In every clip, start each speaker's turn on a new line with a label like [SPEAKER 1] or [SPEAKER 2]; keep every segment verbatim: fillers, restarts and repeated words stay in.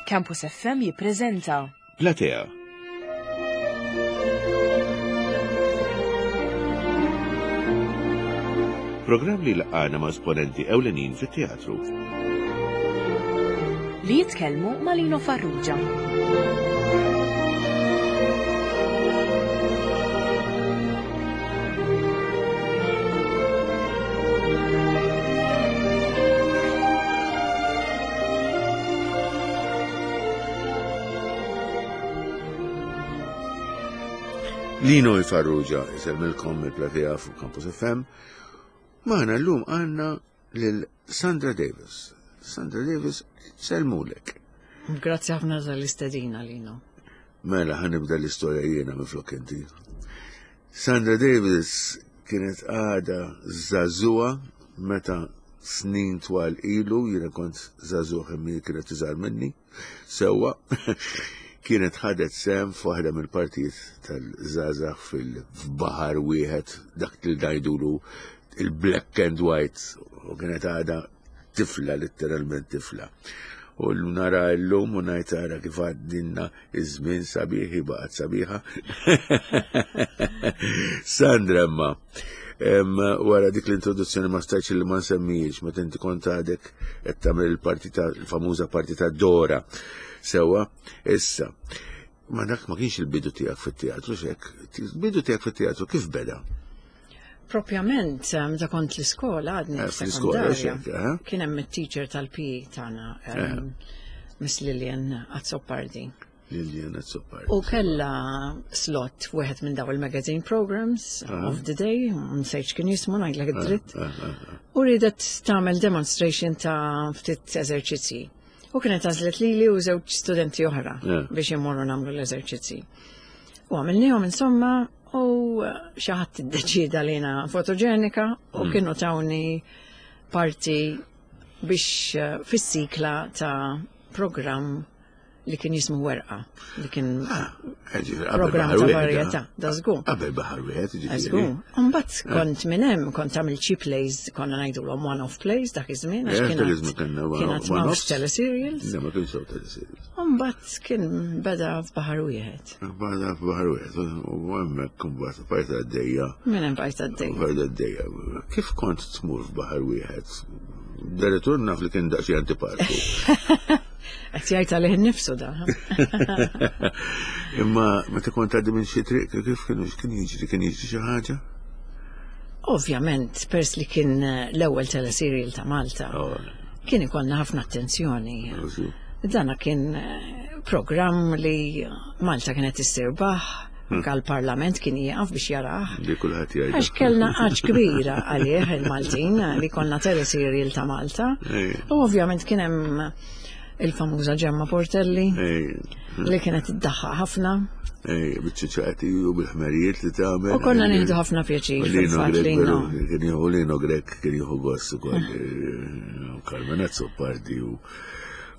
[SPEAKER 1] Campus F M jippreżenta
[SPEAKER 2] Platea. Programm li jlaqqagħna ma' esponenti ewlenin fit-teatru.
[SPEAKER 1] Li jitkellmu ma' Lino Farrugia.
[SPEAKER 2] Lino Farrugia isellmilkom mill-Platea fuq Campus F M. Magħna llum għandna lil Sandra Davis. Sandra Davis, insellmulek.
[SPEAKER 3] Grazzi ħafna tal-istedina, Lino.
[SPEAKER 2] Mela, ħa nibda l-istorja jiena minflok inti. Sandra Davis kienet għada żagħżugħa meta snin twal ilu, jiena kont żagħżugħ imma kienet iżgħar minni, sewwa, kienet ħadet sehem f'waħda mill-partijiet tal-żgħażagħ fil-Baħar Wieħed, dak li ngħidulu il-black and white, u kienet għada tifla, letteralment tifla. U nara l-lum u ngħid ara kif għaddinna iż-żmien sabiħi, baqgħet sabiħa. Sandra, imma, wara dik l-introduzzjoni ma stajtx li ma nsemmijiex, meta inti kont għadek qed tagħmel il-partita, il-famuża partita Dora. Sewwa, issa, ma dak ma kienx il-bidu tiegħek fit-teatru xek, il-bidu tiegħek fit-teatru kif beda?
[SPEAKER 3] Propjament, eh, meta kont l-iskola, għadni
[SPEAKER 2] Eh, fl-iskola,
[SPEAKER 3] sekondarja,
[SPEAKER 2] xek, eh?
[SPEAKER 3] kien hemm it-teacher tal-P E tagħna, em, Miss Lillian Azzopardi.
[SPEAKER 2] Lillian Azzopardi.
[SPEAKER 3] U kella slot wieħed minn daw il-magazine programs of the day, nsejt kien jismu, ngħidlek id-dritt. U ridet tagħmel demonstration ta' ftit eżerċizzi. U kienet għażlet lili u żewġ studenti oħra
[SPEAKER 2] Yeah.
[SPEAKER 3] biex immorru nagħmlu l-eżerċizzi. U għamilnihom insomma u xi ħadd iddeċida li jiena fotoġenika u kienu tawni parti biex eh, fis-sikla ta' program li kien jismu Werqa, li kien program ta' varjetà, da żgur.
[SPEAKER 2] Qabel Baħar Wieħed, ġifieri.
[SPEAKER 3] Żgur. Mbagħad kont minn hemm kont għamil xi plays, konna ngħidulhom one-off plays dak iż-żmien, għax
[SPEAKER 2] Eh,
[SPEAKER 3] kien
[SPEAKER 2] dak iż-żmien kellna one-
[SPEAKER 3] kien għad
[SPEAKER 2] one-offs.
[SPEAKER 3] m'hawnx teleserials.
[SPEAKER 2] Le, ma kienx hawn teleserials.
[SPEAKER 3] Mbagħad kien beda f'Baħar Wieħed.
[SPEAKER 2] Bada f'Baħar Wieħed, u hemmhekk imbagħad bqajt għaddejja.
[SPEAKER 3] Minn hemm bqajt għaddej.
[SPEAKER 2] Bqajt għaddejja. Kif kont tmur f'Baħar Wieħed? Direttur naf li kien daqsxejn antipatiku.
[SPEAKER 3] Qed jgħid għalih innifsu da.
[SPEAKER 2] Imma meta kont għaddi minn xi triq, kif kienu kien jiġri, kien jiġri xi ħaġa?
[SPEAKER 3] Ovvjament, pers li kien eh, l-ewwel teleserial ta' Malta,
[SPEAKER 2] Oh,
[SPEAKER 3] kien ikollna ħafna attenzjoni. Dana kien eh, program li Malta kienet issir baħ, anka l-Parlament kien jieqaf biex jarah.
[SPEAKER 2] Li kulħadd jgħid.
[SPEAKER 3] Għax kellna għax kbira għalih il-Maltin li konna teleserial ta' Malta.
[SPEAKER 2] Ej.
[SPEAKER 3] U ovvjament kien hemm il-famuża Ġemma Portelli
[SPEAKER 2] Ej,
[SPEAKER 3] li kienet iddaħħaq ħafna.
[SPEAKER 2] ej, biċ-ċaċati u bil-ħmerijiet li tagħmel.
[SPEAKER 3] U konna nieħdu ħafna pjaċir
[SPEAKER 2] Lino
[SPEAKER 3] fil-fatt
[SPEAKER 2] Grek,
[SPEAKER 3] li
[SPEAKER 2] veru,
[SPEAKER 3] no.
[SPEAKER 2] kien jieħu Lino Grek, kien jieħu gost ukoll. Carmen Azzopardi u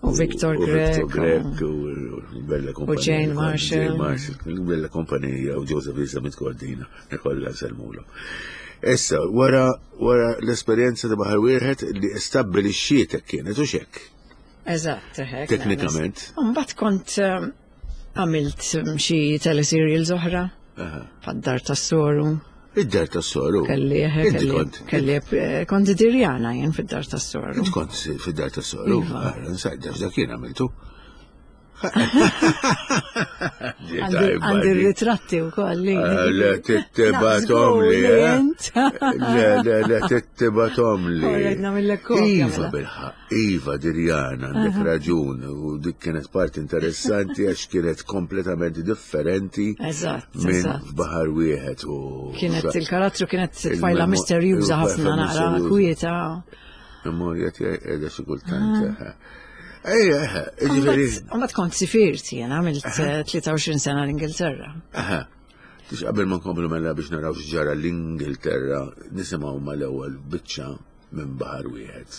[SPEAKER 3] U Victor
[SPEAKER 2] u Victor
[SPEAKER 3] Grek,
[SPEAKER 2] Grek u Bella Kompanija.
[SPEAKER 3] Jane Marshall.
[SPEAKER 2] Jane Marshall, Bella Kompanija u Joseph Elizabeth Cordina, kollha nsellmulu. Issa, wara wara l-esperjenza ta' Baħar Wieħed li stabbilixxietek kienet u xek.
[SPEAKER 3] Eżatt, hekk.
[SPEAKER 2] Teknikament.
[SPEAKER 3] Mbagħad kont eh, għamilt xi teleserials oħra,
[SPEAKER 2] Aha.
[SPEAKER 3] Bħad-Dar tas-Soru.
[SPEAKER 2] Id-Dar tas-Soru.
[SPEAKER 3] Kelli, eh,
[SPEAKER 2] Inti
[SPEAKER 3] kelli,
[SPEAKER 2] kont.
[SPEAKER 3] kelli, eh, kont Dirjana jien fid-Dar tas-Soru.
[SPEAKER 2] Inti kont fid-Dar tas-Soru.
[SPEAKER 3] Iva.
[SPEAKER 2] Ah, Nsajt, dak jien għamiltu.
[SPEAKER 3] Għandi għandi ritratti u koll. li-
[SPEAKER 2] Ah, Le, tibgħathom li, eh?
[SPEAKER 3] Int.
[SPEAKER 2] Le, le, le, tibgħathom li.
[SPEAKER 3] Alright, nagħmillek kopja,
[SPEAKER 2] Iva,
[SPEAKER 3] mela.
[SPEAKER 2] bilħaqq, Iva, Dirjana, għandek raġun, u dik kienet parti interessanti għax kienet kompletament differenti
[SPEAKER 3] Eżatt,
[SPEAKER 2] minn
[SPEAKER 3] eżatt.
[SPEAKER 2] Baħar Wieħed u.
[SPEAKER 3] Kienet il-karattru kienet tfajla
[SPEAKER 2] Il-memo-
[SPEAKER 3] misterjuża ħafna,
[SPEAKER 2] il-tfajla
[SPEAKER 3] naqra
[SPEAKER 2] misterjuża.
[SPEAKER 3] kwieta.
[SPEAKER 2] Memorja tiegħi qiegħda xi kultant. Ejja, ġifieri.
[SPEAKER 3] Mbagħad kont sifirt jien, għamilt eh, tlieta u għoxrin sena l-Ingilterra.
[SPEAKER 2] Aha. Tix qabel ma nkomplu mela biex naraw x'ġara l-Ingilterra, nisimgħu mal-ewwel biċċa minn Baħar Wieħed.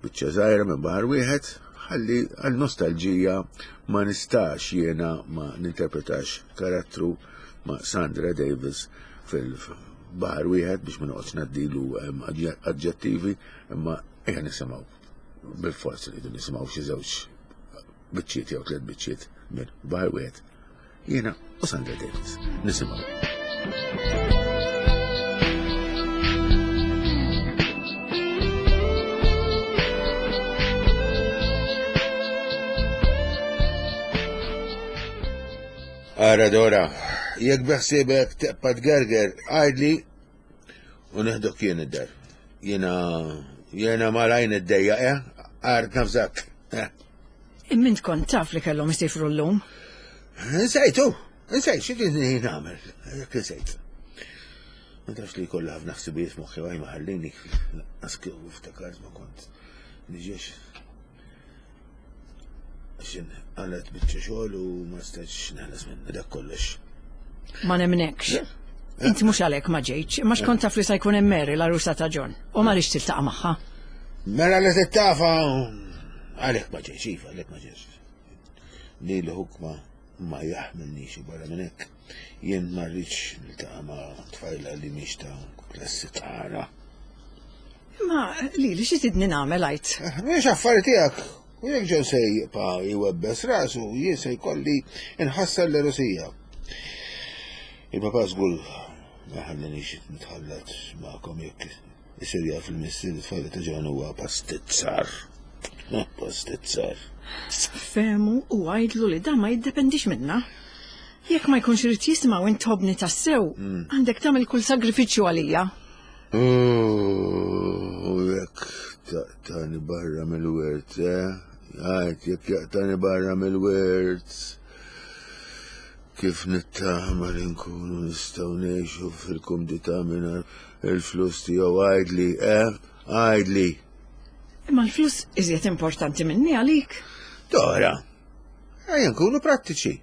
[SPEAKER 2] Biċċa żgħira minn Baħar Wieħed, ħalli għal nostalġija ma nistax jiena ma ninterpretax karattru ma' Sandra Davis fil-Baħar Wieħed biex ma noqgħodx ngħaddilu em, aġġettivi, imma ejja nisimgħu. Bil-forz li nisimgħu xi żewġ biċċiet jew tliet biċċiet minn Baħar Wieħed. Jiena u Sandra Davis. Nisimgħu. Ara Dora, jekk beħsiebek teqpa tgerger, għajdli u neħdok jien id-dar. Jiena jiena malajn id-dejja, eh? Għart nafżak. Eh.
[SPEAKER 3] Imma int kont taf li kellhom isifru llum.
[SPEAKER 2] Nsejtu, nsejt, xi kien nagħmel, jekk insejt. Ma tafx li kollha ħafna ħsibijiet moħħi għaj ma ħallini, lanqas kieku ftakart ma kont niġiex. Xin għalet biċċa xogħol u ma stajtx neħles minn dak kollox.
[SPEAKER 3] Ma nemnekx. Inti mhux għalhekk ma ġejtx, imma x'kont taf li se jkun hemm Mary l-għarusa ta' John u ma rridx tiltaqa' magħha.
[SPEAKER 2] Mela li tittafa għalhekk ma ġejtx, iva, għalhekk ma ġejtx. Li l-ħuk ma ma jaħmilnix u barra minn hekk. Jien ma rridx niltaqa' ma' tfajla li mhix ta' klassi tagħna.
[SPEAKER 3] Imma li li xi tidni nagħmel għajt.
[SPEAKER 2] Mhix affari tiegħek. U jekk John se jibqa' jwebbes rasu, jien se jkolli nħassar l-erosija. Il-papa żgur ma ħallinix nitħallat magħkom jekk isir jaf il-missier it-tfajla ta' John huwa pastizzar. Pastizzar.
[SPEAKER 3] Fehmu u għajdlu li dan ma jiddependix minna. Jekk ma jkunx irid jisma' u intobni tassew, għandek tagħmel kull sagrifiċċju għalija.
[SPEAKER 2] U jekk taqtani barra mill-wirt, eh? Għajt, jekk jaqtani barra mill-wirt. Kif nittama li nkunu nistgħu ngħixu fil-kumdità mingħajr il-flus tiegħu għajdli, eh? Għajdli.
[SPEAKER 3] Imma l-flus iżjed importanti minni għalik.
[SPEAKER 2] Dora, ejja nkunu prattiċi.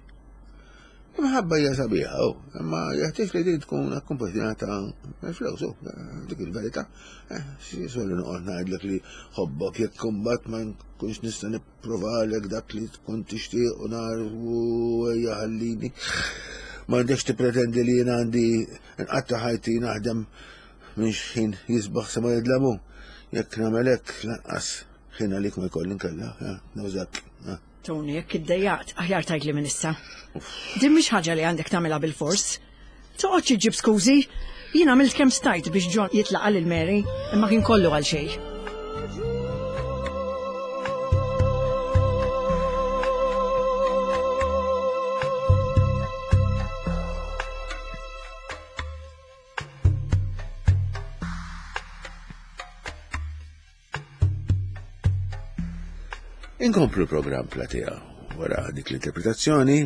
[SPEAKER 2] Imħabba hija sabiħa, oh, imma jeħtieġ li din tkun akkumpanjata mill-flus, oh, dik il-verità. Eh, xi solli noqgħod ngħidlek li ħobbok jekk kumbat ma nkunx nista' nipprovalek dak li tkun tixtieq u nar u ejja ħallini. M'għandekx tippretendi li jien għandi nqatta' ħajti naħdem minn xħin jisbaħ sa ma jidlamu. Jekk nagħmel hekk lanqas ħin għalik ma jkolli nkella, eh, nawżak. eh.
[SPEAKER 3] Tony, jekk iddejjaqt, aħjar tgħidli minn issa. Din mhix ħaġa li għandek tagħmilha bil-fors. Toqgħodx iġġib skużi. Jien għamilt kemm stajt biex John jitlaqa lil Mary, imma kien kollu għal xejn.
[SPEAKER 2] Inkomplu l-programm Platea wara dik l-interpretazzjoni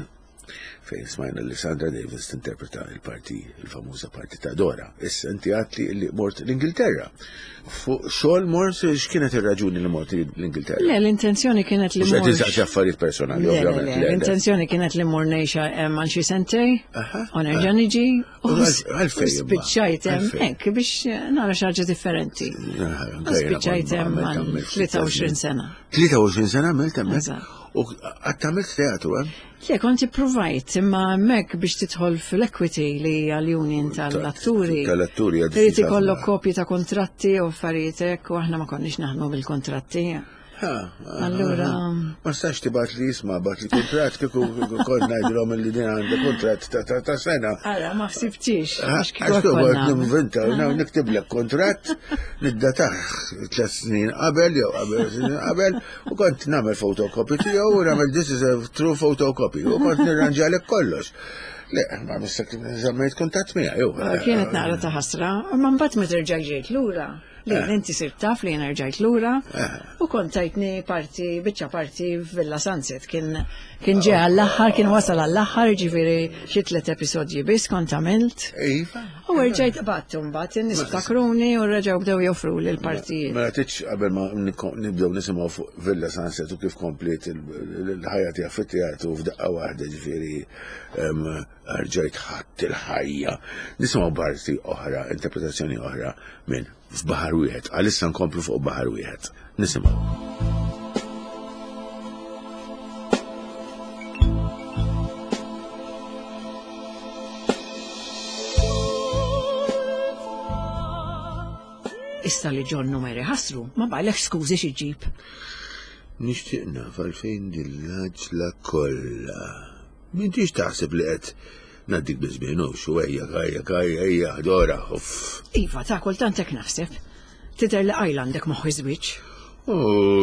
[SPEAKER 2] fejn smajna li Sandra Davis tinterpreta il-parti, il-famuża parti ta' Dora. Issa inti għatli li mort l-Ingilterra. Fuq xogħol mort, x'kienet ir-raġuni li mort l-Ingilterra?
[SPEAKER 3] Le, l-intenzjoni kienet li
[SPEAKER 2] Mhux qed
[SPEAKER 3] mort.
[SPEAKER 2] insaqsi affarijiet personali,
[SPEAKER 3] Le, le,
[SPEAKER 2] ovvjament.
[SPEAKER 3] le,
[SPEAKER 2] le, le.
[SPEAKER 3] L-intenzjoni kienet li mort ngħix hemm għal xi sentej,
[SPEAKER 2] Aha.
[SPEAKER 3] u nerġa' niġi, u
[SPEAKER 2] U għal- għalfejn imma?
[SPEAKER 3] spiċċajt hemm
[SPEAKER 2] Għalfejn?
[SPEAKER 3] hekk biex nara xi ħaġa differenti.
[SPEAKER 2] Ah,
[SPEAKER 3] U spiċċajt hemm għal tlieta u għoxrin sena.
[SPEAKER 2] tlieta u għoxrin sena għamilt hemmhekk?
[SPEAKER 3] Eżatt.
[SPEAKER 2] U qatt għamilt teatru hemm?
[SPEAKER 3] Le, kont ipprovajt, imma hemmhekk biex tidħol fil-Equity li hija l-union tal-atturi.
[SPEAKER 2] Tal-atturi hija
[SPEAKER 3] Irid
[SPEAKER 2] diffiċli
[SPEAKER 3] ikollok
[SPEAKER 2] ħafna.
[SPEAKER 3] kopji ta' kontratti u affarijiet hekk u aħna ma konniex naħdmu bil-kontratti.
[SPEAKER 2] Ha, ha,
[SPEAKER 3] Allura-
[SPEAKER 2] ha. Ma stax tibgħat li jisma' bat li kuntratt kieku kont ngħidilhom li din għandha kuntratt ta' ta' ta' sena.
[SPEAKER 3] Ara, ma ħsibtix, għax kieku
[SPEAKER 2] Għax
[SPEAKER 3] hekk
[SPEAKER 2] kieku
[SPEAKER 3] konna.
[SPEAKER 2] ninventa, niktiblek kontratt, niddatah tliet snin qabel jew qabel snin qabel, u kont nagħmel photocopy tiegħu u nagħmel this is a true photocopy u kont nirranġalek kollox. Le, ma missak żammejt kuntatt miegħi jew.
[SPEAKER 3] Kienet naqra ta' ħasra, imma mbagħad meta rġajt ġejt lura. Li inti sirt taf li jiena rġajt lura u kont tajtni parti, biċċa parti f'Villa Sunset. Kien kien ġej għall-aħħar, kien wasal għall-aħħar, ġifieri xi tliet episodji biss kont għamilt.
[SPEAKER 2] Iva.
[SPEAKER 3] U rġajt qbadt mbagħad in-nies ftakruni u reġgħu bdew joffru li l-partijiet.
[SPEAKER 2] Mela titx qabel ma niko- nibdew nisimgħu fuq Villa Sunset u kif kompliet il- il-ħajja tiegħek fit-teatru f'daqqa waħda ġifieri em, rġajt ħadd il-ħajja. Nisimgħu parti oħra, interpretazzjoni oħra minn f'Baħar Wieħed. Għalissa nkomplu fuq Baħar Wieħed. Nisimgħu.
[SPEAKER 3] Issa li John u Mary ħasru, ma baqgħalekx skużi xi ġib.
[SPEAKER 2] Nixtieq naf għalfejn din l-għaġla kollha. M'intix taħseb li qed ngħaddik biż-żmien u xu ejja ejja ejja ejja Dora, uff.
[SPEAKER 3] Iva, ta' kultant hekk naħseb. Tidher li qajla għandek moħħ iż-żwieġ.
[SPEAKER 2] U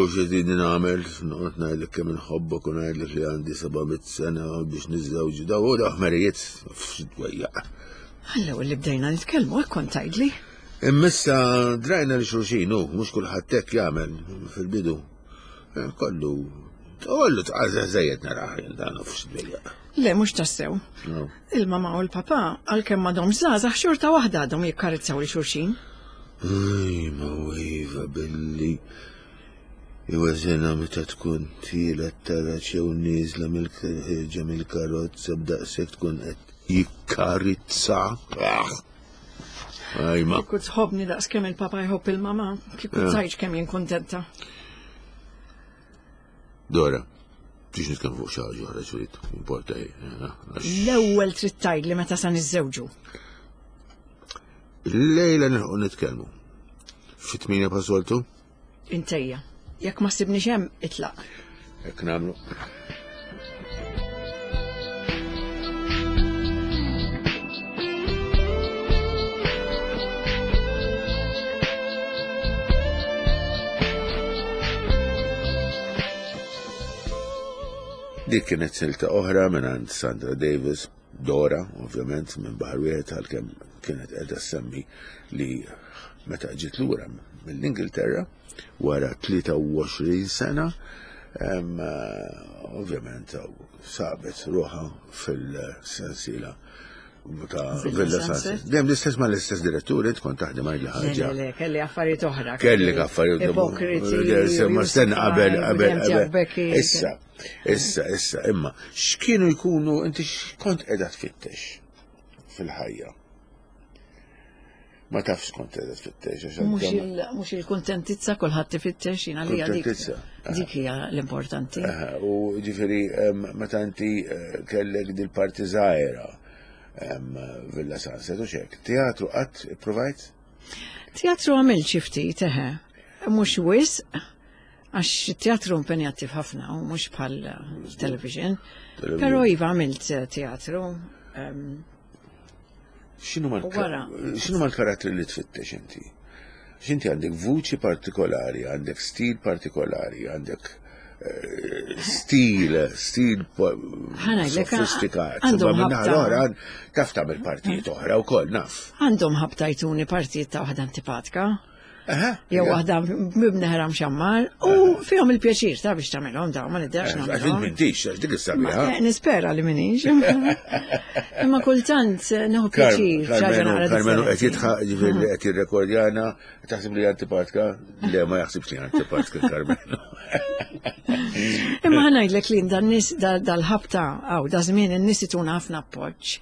[SPEAKER 2] x'tridni nagħmel, noqgħod ngħidlek kemm inħobbok u ngħidlek li għandi seba' mitt sena biex niżżewġu daw u daw ħmerijiet, uff, x'dwejjaq.
[SPEAKER 3] Għall-ewwel li bdejna nitkellmu hekk kont tgħidli.
[SPEAKER 2] Imma issa drajna li xulxin, u mhux kulħadd hekk jagħmel fil-bidu. Eh, Kollu, kollu tqaża żejjed narah jien dan uff x'dwejjaq.
[SPEAKER 3] Le, mhux tassew.
[SPEAKER 2] No.
[SPEAKER 3] Il-mama u l-papa, għalkemm m'għadhomx żgħażagħ xorta waħda għadhom jikkarizzaw li xulxin.
[SPEAKER 2] Ej, ma iva billi iweżena meta tkun tiela t-taraġ jew nieżla mill-ħirġa mill-karozza b'daqshekk tkun qed jikkarizza. Ah! Ej, ma.
[SPEAKER 3] Kieku tħobbni daqs kemm il-papa jħobb il-mama, kieku
[SPEAKER 2] Eh.
[SPEAKER 3] tgħidx kemm jien kuntenta.
[SPEAKER 2] Dora, biex nitkellmu fuq xi ħaġa oħra xrid, importa hi. eh, għax
[SPEAKER 3] L-ewwel trid tgħidli meta sa niżżewġu.
[SPEAKER 2] Lejla nilħqu nitkellmu. Fi tmienja bħas-soltu?
[SPEAKER 3] Intejja. Jekk ma ssibniex hemm, itlaq.
[SPEAKER 2] Hekk nagħmlu. Dik kienet silta oħra minn għand Sandra Davis, Dora, ovvjament, minn Baħar Wieħed, għalkemm kienet qiegħda ssemmi li meta ġiet lura mill-Ingilterra wara tlieta u għoxrin sena, em, eh, ovvjament sabet ruħha fil-sensiela ta'
[SPEAKER 3] Villa
[SPEAKER 2] Villa
[SPEAKER 3] Sunset.
[SPEAKER 2] Sunset. Dejjem l-istess ma l-istess direttur, int kont taħdem għal
[SPEAKER 3] Le,
[SPEAKER 2] ħaġa.
[SPEAKER 3] le, le, kelli affarijiet oħra.
[SPEAKER 2] Kelli affarijiet
[SPEAKER 3] Ipokriti.
[SPEAKER 2] Ma stenna qabel, qabel,
[SPEAKER 3] William
[SPEAKER 2] qabel.
[SPEAKER 3] Becky.
[SPEAKER 2] Issa, issa, issa, imma, x'kienu jkunu, inti x'kont qiegħda tfittex fil-ħajja? Ma tafx kont qiegħda tfittex, għax
[SPEAKER 3] Mhux
[SPEAKER 2] għandha-
[SPEAKER 3] il- mhux il-kuntentizza kulħadd ifittex jiena li dik.
[SPEAKER 2] Kuntentizza, aha.
[SPEAKER 3] Dik hija l-importanti.
[SPEAKER 2] Aha, u ġifieri, em, meta inti, eh, kellek dil-parti żgħira, em, Villa Sunset u xek, teatru qatt ipprovajt?
[SPEAKER 3] Teatru għamilt xi ftit, eħe. Mhux wisq, għax teatru impenjattiv ħafna u mhux bħal eh, television.
[SPEAKER 2] Television.
[SPEAKER 3] Però iva għamilt eh, teatru. em,
[SPEAKER 2] X'inhu
[SPEAKER 3] U wara.
[SPEAKER 2] x'inhu mal-karattri li tfittex inti? X'inti għandek vuċi partikolari, għandek stil partikolari, għandek, eh, stil, stil po-
[SPEAKER 3] Ħa ngħidlek,
[SPEAKER 2] sofistikat.
[SPEAKER 3] għandhom
[SPEAKER 2] Imma min-naħa
[SPEAKER 3] ħabta.
[SPEAKER 2] l-oħra, taf tagħmel partijiet oħra wkoll, naf.
[SPEAKER 3] Għandhom ħabta jtuni partijiet ta' waħda antipatika,
[SPEAKER 2] Aha,
[SPEAKER 3] jew
[SPEAKER 2] ja.
[SPEAKER 3] waħda mibneħra mxammar, u fihom il-pjaċir ta' biex tagħmilhom dawn, ma niddex
[SPEAKER 2] Għax int
[SPEAKER 3] nagħmilhom.
[SPEAKER 2] m'intix, għax dik is-sabiħa.
[SPEAKER 3] Ma, eh, Nispera li minix. Imma kultant eh, nieħu pjaċir xi ħaġa
[SPEAKER 2] Karmenu,
[SPEAKER 3] naqra
[SPEAKER 2] Karmenu qed
[SPEAKER 3] differenti.
[SPEAKER 2] jitħaq, ġifieri li qed jirrekordjana, taħseb li antipatika? Le, ma jaħsibx li antipatika Karmenu.
[SPEAKER 3] Imma ħa ngħidlek li dan nies dal-ħabta għaw da żmien in-nies ituna ħafna appoġġ.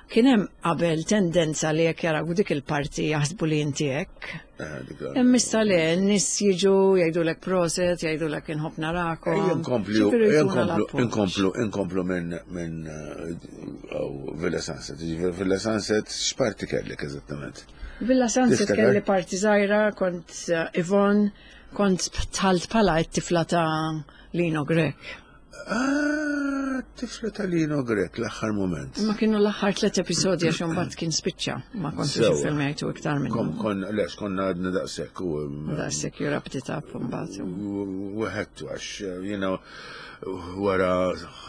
[SPEAKER 3] Kien hemm qabel tendenza li jekk jaraw dik il-parti jaħsbu li inti hekk.
[SPEAKER 2] Ah, dik la-
[SPEAKER 3] Imma issa le, n-nies jiġu jgħidulek proset, jgħidulek inħobb narakom.
[SPEAKER 2] Ejja nkomplu,
[SPEAKER 3] Ġifieri
[SPEAKER 2] ejja
[SPEAKER 3] jtuna
[SPEAKER 2] nkomplu,
[SPEAKER 3] l-appoġġ.
[SPEAKER 2] inkomplu, inkomplu minn, minn, eh, aw, Villa Sunset. Ġifieri Villa Sunset x'parti kellek eżattament?
[SPEAKER 3] Villa Sunset
[SPEAKER 2] Tiftakar?
[SPEAKER 3] kelli parti żgħira, kont eh, Yvonne, kont tħalt bħala t-tifla ta' Lino Grech.
[SPEAKER 2] Ah, tifla ta' Lino Grech, l-aħħar moment.
[SPEAKER 3] Ma kienu l-aħħar tliet episodji għax imbagħad kien spiċċa, ma kontux
[SPEAKER 2] Sewa.
[SPEAKER 3] iffilmjajtu iktar
[SPEAKER 2] Kom,
[SPEAKER 3] minnu.
[SPEAKER 2] kon, lex, konna għadna daqshekk u
[SPEAKER 3] Daqshekk you wrapped it up imbagħad.
[SPEAKER 2] Weħedtu għax, jiena wara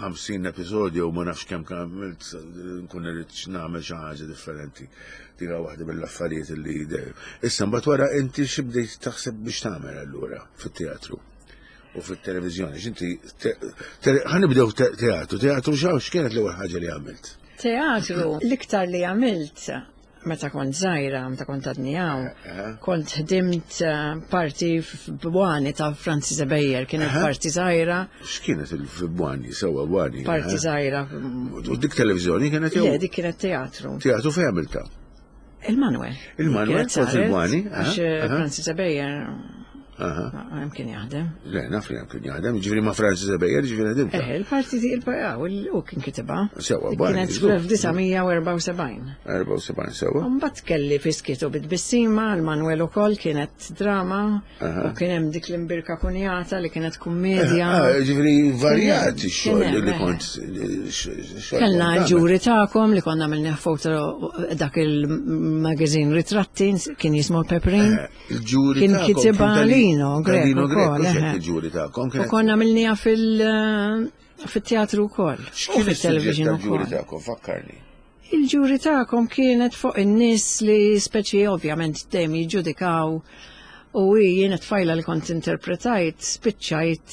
[SPEAKER 2] ħamsin episodju u ma nafx kemm għamilt, nkun irrid nagħmel xi ħaġa differenti. Dik waħda mill-affarijiet li dejjem. Issa mbagħad wara inti xi bdejt taħseb biex tagħmel allura fit-teatru u fit-televiżjoni. X'inti te- te- ħa nibdew te- teatru, teatru x'hawn x'kienet l-ewwel ħaġa li għamilt?
[SPEAKER 3] Teatru, l-iktar li għamilt meta kont żgħira, meta kont għadni hawn, kont ħdimt, eh, parti f'Bwani ta' Francis Ebejer, kienet
[SPEAKER 2] Aha.
[SPEAKER 3] parti żgħira,
[SPEAKER 2] X'kienet il-Bwani, sewwa Bwani?
[SPEAKER 3] parti
[SPEAKER 2] eh?
[SPEAKER 3] żgħira.
[SPEAKER 2] U dik televiżjoni kienet jew?
[SPEAKER 3] Le, dik kienet teatru.
[SPEAKER 2] Teatru fejn għamilta?
[SPEAKER 3] Il-Manuel.
[SPEAKER 2] Il-Manuel,
[SPEAKER 3] Kienet
[SPEAKER 2] kont
[SPEAKER 3] saret,
[SPEAKER 2] il-Bwani,
[SPEAKER 3] Għax
[SPEAKER 2] aha, aha.
[SPEAKER 3] Francis Ebejer Hemm kien jaħdem.
[SPEAKER 2] Le, naf li hemm kien jaħdem, ġifieri ma' Francis Ebejer, ġifieri ħdimta.
[SPEAKER 3] Eh, il-parti di il-parti, u kien kitibha.
[SPEAKER 2] Sewa,
[SPEAKER 3] Kienet fl-elf disa' mija u erbgħa u sebgħin.
[SPEAKER 2] Erbgħa u sebgħin, sewa.
[SPEAKER 3] Mbagħad kelli Fiskitu bit-tbissima, l-Manuel ukoll kienet drama, u kien hemm dik l-imbirka kunjata li kienet kummedja.
[SPEAKER 2] Ah, ġifieri varjat ix-xogħol li kont.
[SPEAKER 3] Kellna l-ġuri tagħkom li konna għamilna foto dak il-magazine ritratti kien jismu l-Pepperin.
[SPEAKER 2] Il-ġuri
[SPEAKER 3] Kien kitibha Lino Grech ukoll.
[SPEAKER 2] Il-ġuri tagħkom.
[SPEAKER 3] U konna għamilniha fil-teatru wkoll.
[SPEAKER 2] X'kien is-suġġett tal-ġuri tagħkom, fakkarni.
[SPEAKER 3] Il-ġuri tagħkom kienet fuq in-nies li speċi ovvjament dejjem jiġġudikaw u jiena tfajla li kont interpretajt spiċċajt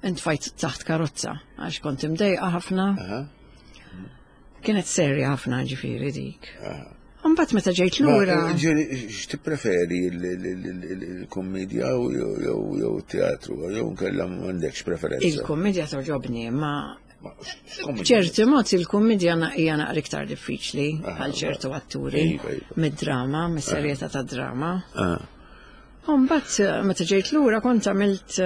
[SPEAKER 3] intfajt taħt karozza għax kont imdejqa ħafna. Kienet serja ħafna ġifieri dik. Mbagħad meta ġejt lura.
[SPEAKER 2] Ġifieri x'tippreferi l-kummedja jew teatru jew nkella m'għandekx preferenza?
[SPEAKER 3] Il-kummedja toġobni, ma ċerti mod il-kummedja hija naqra iktar diffiċli għal ċertu atturi mid-drama, mis-serjetà tad-drama. Mbagħad meta ġejt lura kont għamilt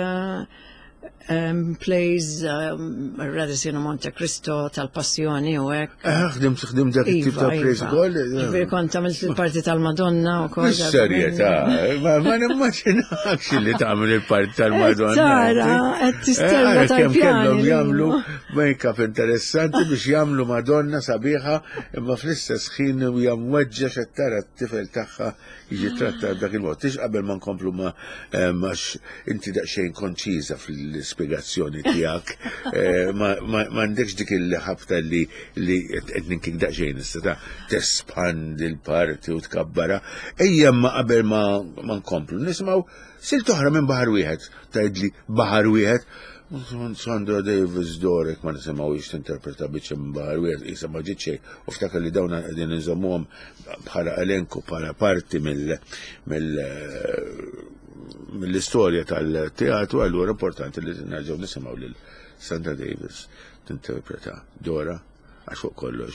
[SPEAKER 3] plays Radisson u Monte Cristo tal-Passjoni u hekk.
[SPEAKER 2] Ħdimt ħdimt dak it-tip ta' plays ukoll.
[SPEAKER 3] Ġifieri kont għamilt il-parti tal-Madonna wkoll.
[SPEAKER 2] Serjetà, ma nimmaġinax li tagħmel il-parti tal-Madonna.
[SPEAKER 3] Tara, qed tistenna tal-pjan.
[SPEAKER 2] Kellhom jagħmlu make-up interessanti biex jagħmlu Madonna sabiħa imma fl-istess ħin hija mweġġa x'qed tara t-tifel tagħha jiġi trattat dak il-mod. Tix qabel ma nkomplu ma għax inti daqsxejn konċiża fl-ispjegazzjoni tiegħek, m'għandekx dik il-ħabta li li qed ninkik daqsxejn issa ta' tespandi l-parti u tkabbara. Ejja ma qabel ma nkomplu nisimgħu silt oħra minn Baħar Wieħed, tgħidli Baħar Wieħed. Sandra Davis Dorek ma nisimgħux tinterpreta biċċa minn Baħar Wieħed qisha ma ġiet xejn u ftakar li dawn qegħdin inżommuhom bħala elenku bħala parti mill mill mill-istorja tal-teatru, allura importanti li nerġgħu nisimgħu lil Sandra Davis tinterpreta Dora għax fuq kollox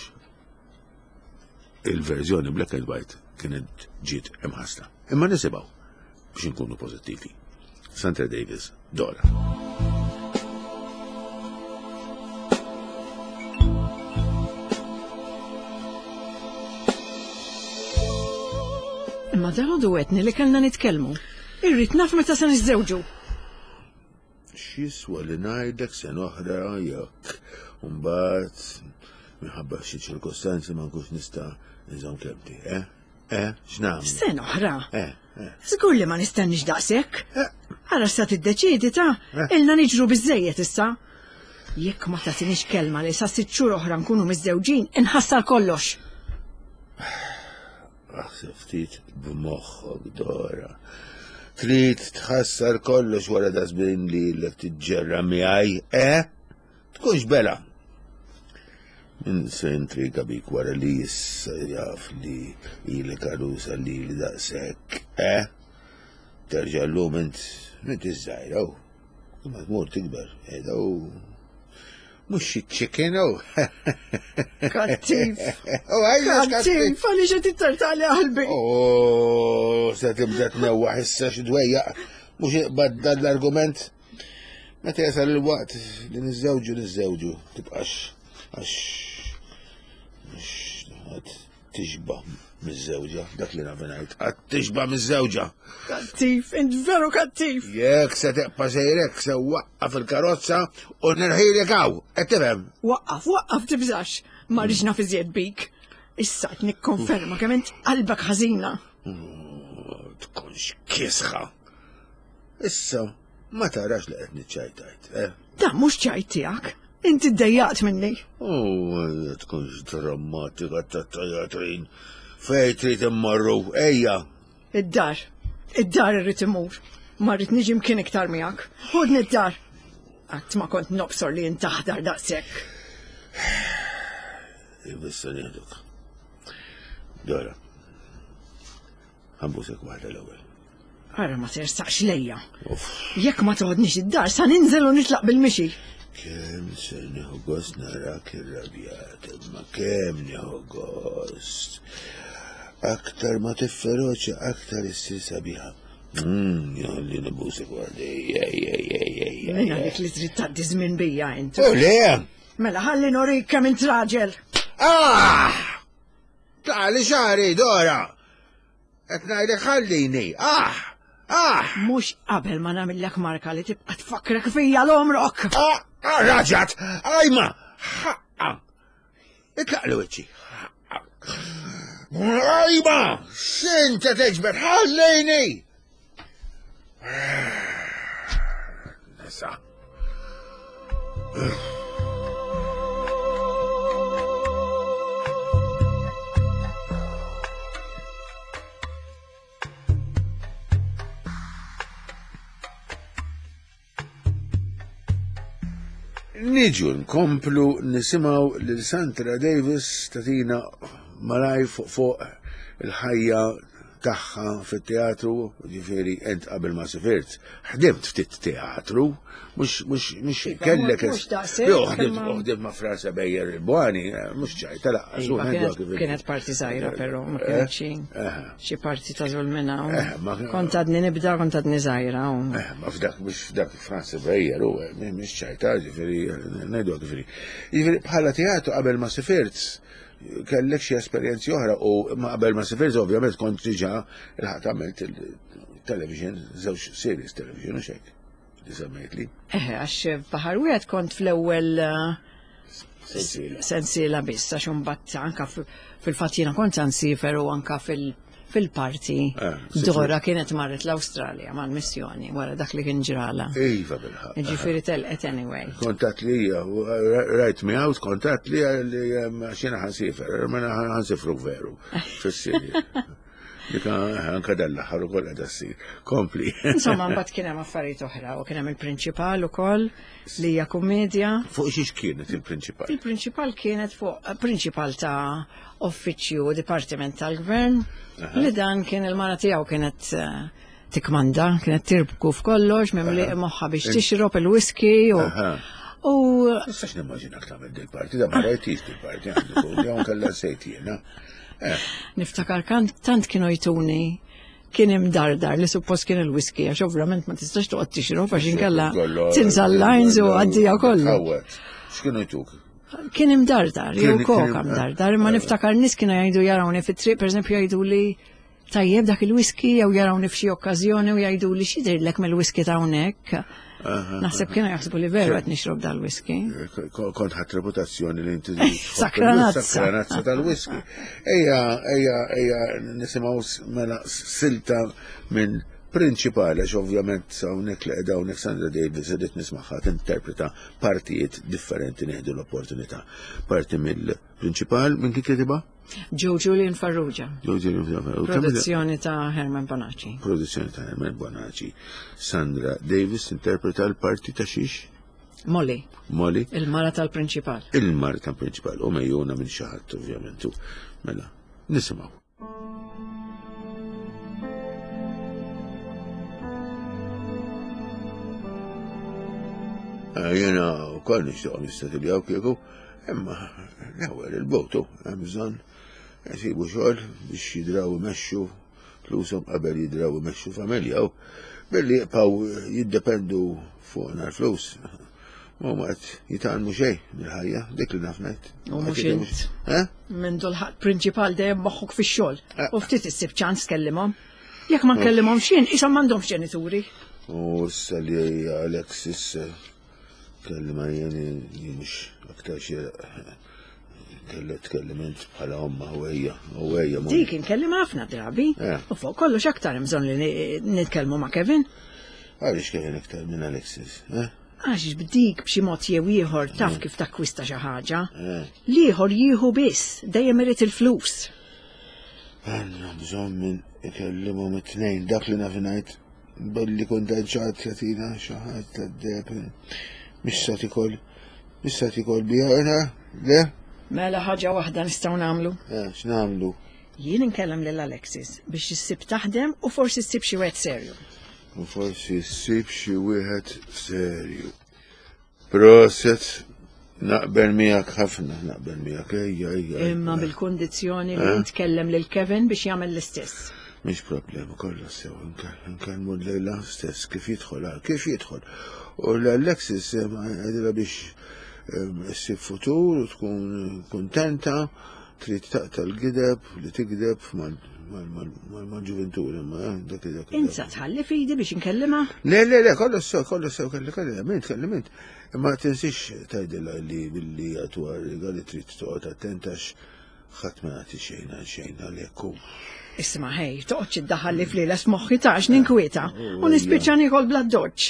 [SPEAKER 2] il-verżjoni black and white kienet ġiet imħassra. Imma nisimgħu biex inkunu pożittivi. Sandra Davis, Dora.
[SPEAKER 3] Imma dalgħodu għedni li kellna nitkellmu. Irrid naf meta se niżżewġu.
[SPEAKER 2] X'jiswa li ngħidlek sena oħra jekk mbagħad minħabba xi ċirkostanzi ma nkunx nista' nżomm kelmti, eh? Eh, x'nagħmlu?
[SPEAKER 3] Sena oħra?
[SPEAKER 2] Eh, eh.
[SPEAKER 3] Żgur li ma nistennix daqshekk. Ara sa tiddeċiedi ta' ilna niġru biżejjed issa. Jekk ma tagħtinix kelma li sa sitt xhur oħra nkunu miżżewġin, inħassar kollox.
[SPEAKER 2] Aħseb ftit b'moħħok, Dora. Trid tħassar kollox wara da żmien li ilek tiġġerra miegħi, eh? Tkunx bela. Min se intriga bik wara li issa jaf li ilek għarusa li li daqshekk, eh? Terġa' llum int int iż-żgħira u imma tmur tikber, qiegħda u mhux xi chicken u.
[SPEAKER 3] Kattiv. Kattiv, għaliex qed ittartali qalbi.
[SPEAKER 2] Oh, se tibda tnewwaħ issa xi dwejjaq, mhux iqbad dan l-argument. Meta jasal il-waqt li niżżewġu niżżewġu, tibqax għax mhux tixba' miż-żewġa, dak li naf ngħid, qatt tixba' miż-żewġa.
[SPEAKER 3] Kattiv, int veru kattiv.
[SPEAKER 2] Jekk se teqpa' sejrek se waqqaf il-karozza u nirħilek hawn, qed tifhem?
[SPEAKER 3] Waqqaf, waqqaf tibżax, ma rridx naf iżjed bik. Issa qed nikkonferma kemm int qalbek ħażina.
[SPEAKER 2] Tkunx kisħa. Issa ma tarax li qed niċċajtajt, eh?
[SPEAKER 3] Dan mhux ċajt tiegħek. Inti ddejjaqt minni.
[SPEAKER 2] Oh, tkunx drammatika tat-teatrin. Fej trid immorru, ejja.
[SPEAKER 3] Id-dar, id-dar irrid imur. Ma rrid niġi mkien iktar miegħek. Ħudni d-dar. Qatt ma kont nobsor li intaħdar daqshekk.
[SPEAKER 2] Issa nieħduk. Dora. Ħambusek waħda l-ewwel.
[SPEAKER 3] Ara ma tersaqx lejja. Jekk ma toħodnix id-dar sa ninżel u nitlaq bil-mixi.
[SPEAKER 2] Kemm se nieħu gost narak irrabjat, imma kemm nieħu gost. Aktar ma tifferoċa, aktar issir sabiħa. Jalli nibusek għadi, ej, ej, ej, ej.
[SPEAKER 3] Minna dik li trid tgħaddi żmien bija int.
[SPEAKER 2] U le!
[SPEAKER 3] Mela ħalli norik kemm int raġel.
[SPEAKER 2] Ah! Tali xari, Dora! Qed ngħidlek ħallini! Ah! Ah!
[SPEAKER 3] Mhux qabel ma nagħmillek marka li tibqa' tfakkrek fija l-omrok.
[SPEAKER 2] Ah! Ah! Raġat! Ajma! Ħaqqa! Itlaq li wiċċi. Ajma! X'inta teġbed? Ħallini! Nisa. Niġu nkomplu nisimgħu lil Sandra Davis tatina malaj fuq fuq il-ħajja tagħha fit-teatru, ġifieri ent qabel ma sifirt, ħdimt ftit teatru, mhux mhux mhux
[SPEAKER 3] Iva,
[SPEAKER 2] kellek.
[SPEAKER 3] mhux daqshekk,
[SPEAKER 2] Jo, ħdimt
[SPEAKER 3] imma-
[SPEAKER 2] ħdimt ma' Franza Bejjer il-Bwani, mhux ċajta laqqas.
[SPEAKER 3] Iva, kienet- Kienet parti żgħira però, ma kienet xi xi parti ta' żulmina. u
[SPEAKER 2] Eh, ma-
[SPEAKER 3] Kont għadni nibda, kont għadni żgħira. u-
[SPEAKER 2] Eh, ma f'dak mhux f'dak Franza Bejjer u mhux ċajta, ġifieri ngħidu ġifieri. Ġifieri bħala teatru qabel ma sifirt kellek xi esperjenzi oħra u ma qabel ma sifirt ovvjament kont diġà il-ħadd għamilt il-television, żewġ series television u xek. Li semmejtli.
[SPEAKER 3] Eh, għax baħar wieħed kont fl-ewwel eh,
[SPEAKER 2] Sensiela.
[SPEAKER 3] sensiela biss, għax imbagħad anka f- fil-fatt jiena kont nsifer u anka fil- fil-parti
[SPEAKER 2] Eh,
[SPEAKER 3] Dora kienet marret l-Awstralja mal-missjoni wara dak li kien ġrala.
[SPEAKER 2] Iva bil-ħaq.
[SPEAKER 3] Ġifieri telqet anyway.
[SPEAKER 2] Kontat li hija, u, right me out, kontat li li xina ħansifer, mena ħansifru veru, fis-Sirja. Dik anka dal-aħħar ukoll qiegħda ssir. Kompli.
[SPEAKER 3] Insomma, mbagħad kien hemm affarijiet oħra u kien hemm il-prinċipal ukoll li hija kummedja.
[SPEAKER 2] Fuq xiex kienet il-prinċipal?
[SPEAKER 3] Il-prinċipal kienet fuq prinċipal ta' uffiċċju u dipartiment tal-gvern li dan kien il-mara tiegħu kienet eh, tikmanda, kienet tirbku f'kollox, mimli moħħa biex tixrob il-whisky u
[SPEAKER 2] Aha.
[SPEAKER 3] u
[SPEAKER 2] Nistax nimmaġinak tagħmel dil-parti, da ma rajtix dil-parti għandu kun, jew kellha sejt jiena. Eh,
[SPEAKER 3] niftakar kan tant kienu jtuni kien imdardar li suppost kien il-whisky għax ovvjament ma tistax toqgħod tixrob għax inkella
[SPEAKER 2] kollu-
[SPEAKER 3] tinsa l-lines u għaddija kollu.
[SPEAKER 2] Tħawwad. X'kienu jtuk?
[SPEAKER 3] Kien imdardar, jew
[SPEAKER 2] Kien-
[SPEAKER 3] koka
[SPEAKER 2] kien-
[SPEAKER 3] imdardar, imma niftakar nies kienu jgħidu jarawni fit-triq, pereżempju jgħidu li tajjeb dak il-whisky jew jarawni f'xi okkażjoni u jgħidu li x'jidhirlek mill-whisky ta' hawnhekk. Naħseb kienu jaħsbu li veru qed nixrob dal-whisky.
[SPEAKER 2] Ko- Kont ħadd reputazzjoni li inti
[SPEAKER 3] Sakranazza.
[SPEAKER 2] Sakranazza tal-whisky. Ejja, ejja, ejja, nisimgħu s- mela silta minn prinċipali, għax ovvjament hawnhekk li qiegħda hawnhekk Sandra Davis irrid nismagħha tinterpreta partijiet differenti nieħdu l-opportunità. Parti mill-prinċipal minn kien kitibha?
[SPEAKER 3] Joe Julian Farrugia,
[SPEAKER 2] Joe Julian Farrugia.
[SPEAKER 3] produzzjoni ta' Herman Bonacci.
[SPEAKER 2] Produzzjoni ta' Herman Bonacci. Sandra Davis interpreta l-parti ta' xiex?
[SPEAKER 3] Molly,
[SPEAKER 2] Molly?
[SPEAKER 3] il-mara tal-prinċipal.
[SPEAKER 2] Il-marta prinċipal u mejjuna minn xi ħadd ovvjament. u Mela, nisimgħu. Eh, Jena wkoll nixtieq nistatiljaw kieku, imma l-ewwel il-botu hemm bżonn jsibu xogħol biex jidraw imexxu flushom qabel jidraw imexxu familja u billi jibqgħu jiddependu fuqna l-flus. Ma huma qed jitgħallmu xejn mill-ħajja, dik li naf ngħid.
[SPEAKER 3] U mhux int.
[SPEAKER 2] Eh?
[SPEAKER 3] Minn dol-ħadd prinċipal dejjem moħħok fix-xogħol.
[SPEAKER 2] Eh.
[SPEAKER 3] U ftit issib ċans tkellimhom. Jekk ma nkellimhom xejn, ishom m'għandhomx ġenituri.
[SPEAKER 2] U issa li Alexis eh, kellima jien jien mhux aktar xi kellha tkellem int bħala omma u ejja u ejja ma-
[SPEAKER 3] Dik inkellim ħafna drabi.
[SPEAKER 2] Eh.
[SPEAKER 3] U fuq kollox aktar hemm bżonn li ni- nitkellmu ma' Kevin.
[SPEAKER 2] Għaliex Kevin iktar minn Alexis, eh?
[SPEAKER 3] Għax b'dik b'xi mod jew ieħor taf kif takkwista xi ħaġa.
[SPEAKER 2] Eh.
[SPEAKER 3] L-ieħor jieħu biss, dejjem irid il-flus.
[SPEAKER 2] Għanna bżonn minn ikellimhom it-tnejn dak li naf ngħid billi kont ċat jatina xi ħadd tad-deb mhix sa tikol mhix sa tikol biha eh, le?
[SPEAKER 3] Mela ħaġa waħda nistgħu nagħmlu.
[SPEAKER 2] Eh, x'nagħmlu?
[SPEAKER 3] Jien inkellem lil Alexis biex issib taħdem u forsi ssib xi wieħed serju.
[SPEAKER 2] U forsi ssib xi wieħed serju. Proset, naqbel miegħek ħafna, naqbel miegħek, ejja, ejja.
[SPEAKER 3] Imma bil-kundizzjoni li nitkellem lil Kevin biex jagħmel l-istess.
[SPEAKER 2] Mhix problema, kollha sew, nkellmu l-lejla stess kif jidħol, kif jidħol. U l-Alexis għedilha biex issib futur u tkun kontenta, trid taqta' l-gideb li tigdeb mal-ġuventur, imma dak dak.
[SPEAKER 3] Insa tħalli fidi biex nkellima?
[SPEAKER 2] Le, le, le, kollu sew, kollu sew, kelli kelli, mint, kelli mint. Imma tinsix tgħidilha li billi għatuha riga li trid toqgħod attenta ħadd ma jagħti xejn għal xejn għalhekk.
[SPEAKER 3] Isma' ħej, toqgħodx iddaħħal li flieles moħħi tax ninkwieta u nispiċċa niekol bla doċċ.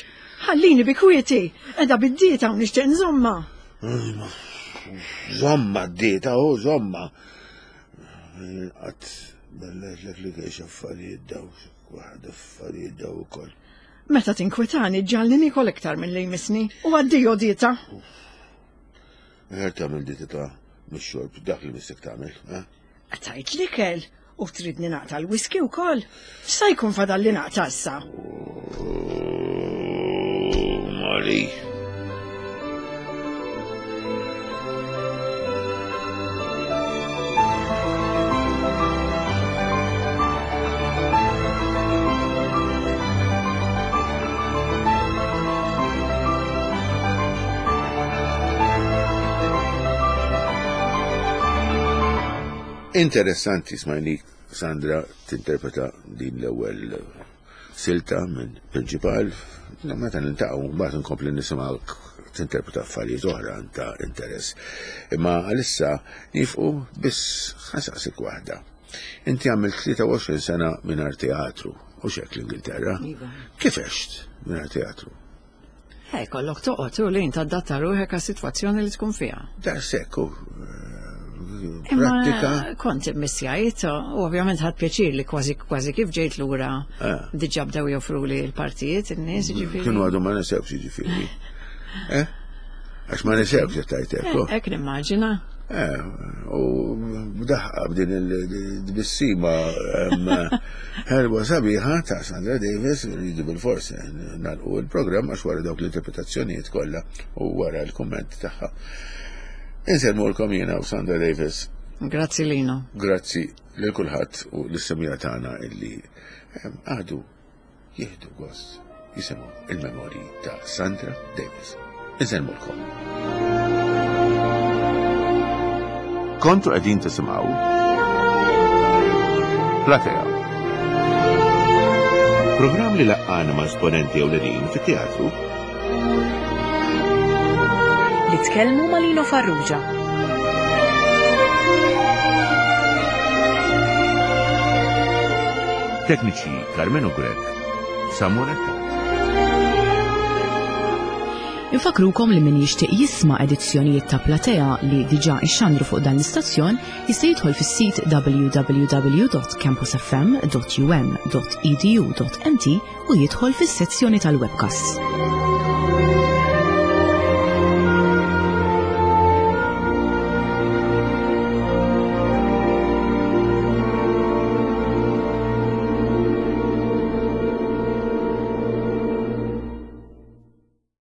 [SPEAKER 3] Ħallini bi kwieti, qiegħda bid-dieta u nixtieq nżomma.
[SPEAKER 2] Żomma d-dieta, u żomma. Qatt bellajtlek li kienx affarijiet daw, waħda affarijiet daw ukoll.
[SPEAKER 3] Meta tinkwitani ġalni niekol iktar milli jmissni u addio dieta.
[SPEAKER 2] Ħer tagħmel dieta ta' mix-xorb, dak li missek tagħmel, eh?
[SPEAKER 3] Tajt l-ikel u tridni naqta' l-whisky wkoll. Sa jkun fadal li naqta' issa.
[SPEAKER 2] Mari. Interessanti smajni Sandra tinterpreta din l-ewwel silta minn Prinċipal. Meta niltaqgħu mbagħad nkompli nisimgħu tinterpreta affarijiet oħra ta' interess. Imma għalissa nifqu biss ħasaqsik waħda. Inti għamilt tlieta u għoxrin sena mingħajr teatru u xek l-Ingilterra.
[SPEAKER 3] Iva.
[SPEAKER 2] Kif għext mingħajr teatru?
[SPEAKER 3] Eh, kollok toqgħod u li adatta ruħek għas-sitwazzjoni li tkun fiha.
[SPEAKER 2] Da sekku.
[SPEAKER 3] Imma
[SPEAKER 2] Prattika.
[SPEAKER 3] kont immissjajt u ovvjament ħadt pjaċir li kważi kważi kif ġejt lura
[SPEAKER 2] Ah.
[SPEAKER 3] diġà bdew joffru li l-partijiet in-nies, jiġifieri.
[SPEAKER 2] Kienu għadu ma nesewx jiġifieri. Eh? Għax ma nesewx qed tgħid hekk.
[SPEAKER 3] Eh, hekk nimmaġina.
[SPEAKER 2] Eh, u b'daħqa b'din il-tbissima ħelwa sabiħa ta' Sandra Davis, rridu bil-fors nagħlqu il-programm għax wara dawk l-interpretazzjonijiet kollha u wara l-kumment tagħha. Insellmulkom jiena u Sandra Davis.
[SPEAKER 3] Grazzi Lino.
[SPEAKER 2] Grazzi lil kulħadd u lis-semija tagħna illi għadu jieħdu gost jisimgħu il-memorji ta' Sandra Davis. Insellmulkom.
[SPEAKER 4] Kontu qegħdin tisimgħu Platea. Programm li laqqana ma' esponenti ewlenin fit-teatru
[SPEAKER 1] li tkellmu ma' Lino Farrugia.
[SPEAKER 4] Tekniċi Carmenu Grech, Samuel Attard.
[SPEAKER 1] Infakrukom li min jixtieq jisma' edizzjonijiet ta' Platea li diġà ixxandru fuq dan l-istazzjon jista' jidħol fis-sit w w w dot campus f m dot u m dot e d u dot m t u jidħol fis-sezzjoni tal-webcasts.